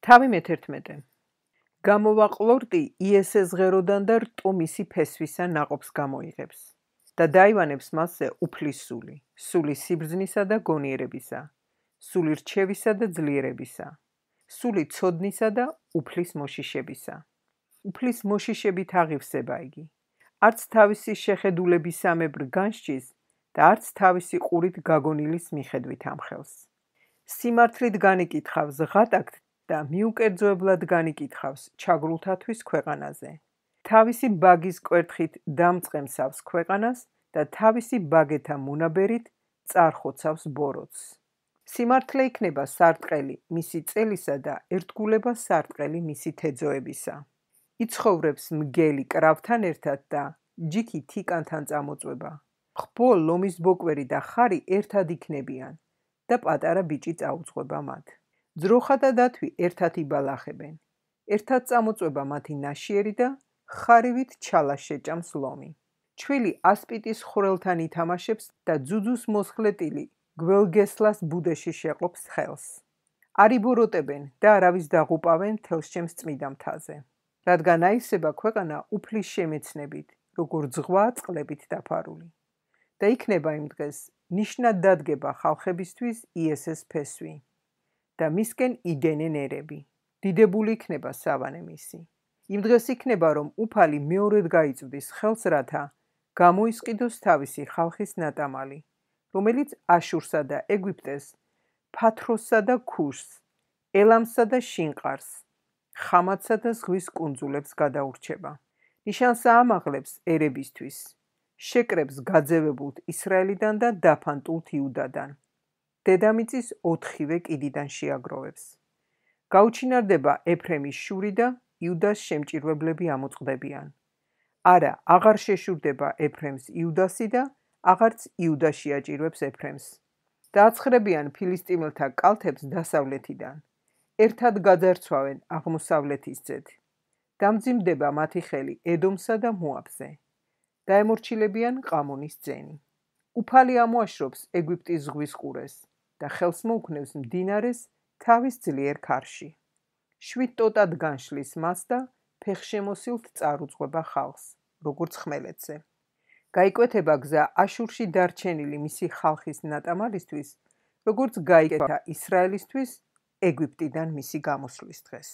თავი მე-11. გამოვაყლორტი იესეს ღეროდან და რტო მისი ფესვისა ნაყოფს გამოიღებს და დაივანებს მასზე უფლის სული, სული სიბრძნისა და გონიერებისა, სული რჩევისა და ძლიერებისა, სული ცოდნისა და უფლის მოშიშებისა. უფლის მოშიშებით აღივსება იგი, არც თავისი შეხედულებისამებრ განსჯის და არც თავისი ყურით გაგონილის მიხედვით ამხელს. სიმართლით განიკითხავს ღატაკთ და მიუკერძოებლად განიკითხავს ჩაგრულთათვის ქვეყანაზე. თავისი ბაგის კვერთხით დამწყემსავს ქვეყანას და თავისი ბაგეთა მონაბერით წარხოცავს ბოროტს. სიმართლე იქნება სარტყელი მისი წელისა და ერთგულება სარტყელი მისი თეძოებისა. იცხოვრებს მგელი კრავთან ერთად და ჯიქი თიკანთან წამოწვება. ხბო, ლომის ბოკვერი და ხარი ერთად იქნებიან და პატარა ბიჭი წაუძღვება მათ. ძროხა და დათვი ერთად იბალახებენ. ერთად წამოწვება მათი ნაშიერი და ხარივით ჩალას შეჭამს ლომი. ჩვილი ასპიტის ხვრელთან ითამაშებს და ძუძუს მოსხლეტილი გველგესლას ბუდეში შეყობს ხელს. არ იბოროტებენ და არავის დაღუპავენ მთელს ჩემს წმიდა მთაზე. რადგან აივსება ქვეყანა უფლის შემეცნებით, როგორც ზღვა წყლებით დაფარული. და იქნება იმ დღეს ნიშნად დადგება ხალხებისთვის იესეს ფესვი და მისკენ იდენენ ერები. დიდებული იქნება სავანე მისი. იმ დღეს იქნება, რომ უფალი მეორედ გაიწვდის ხელს, რათა გამოისყიდოს თავისი ხალხის ნატამალი, რომელიც აშურსა და ეგვიპტეს, ფათროსსა და ქუშს, ელამსა და შინყარს, ხამათსა და ზღვის კუნძულებს გადაურჩება. ნიშანს აამაღლებს ერებისთვის, შეკრებს გაძევებულთ ისრაელიდან და დაფანტულთ იუდადან. დედამიწის 4-ვე კიდიდან შეაგროვებს. გაუჩინარდება ეფრემის შური და იუდას შემჭირვებლები ამოწყდებიან. არა, აღარ შეშურდება ეფრემს იუდასი და აღარც იუდა შეაჭირვებს ეფრემს. დააცხრებიან ფილისტიმელთა კალთებს დასავლეთიდან. ერთად გაძარცვავენ აღმოსავლეთის ძედ. დამძიმდება მათი ხელი ედომსა და მოაბზე. დაემორჩილებიან ყამონის ძენი. უფალი ამოაშრობს ეგვიპტის ზღვის ყურეს და ხელს მოუქნევს მდინარეს თავის ძლიერ ქარში. შვიდ ტოტად განშლის მას და ფეხშემოსილთ წარუძღვება ხალხს, როგორც ხმელეთზე. გაიკვეთება გზა აშურში დარჩენილი მისი ხალხის ნატამალისთვის, როგორც გაიკეთა ისრაელისთვის ეგვიპტიდან მისი გამოსვლის დღეს.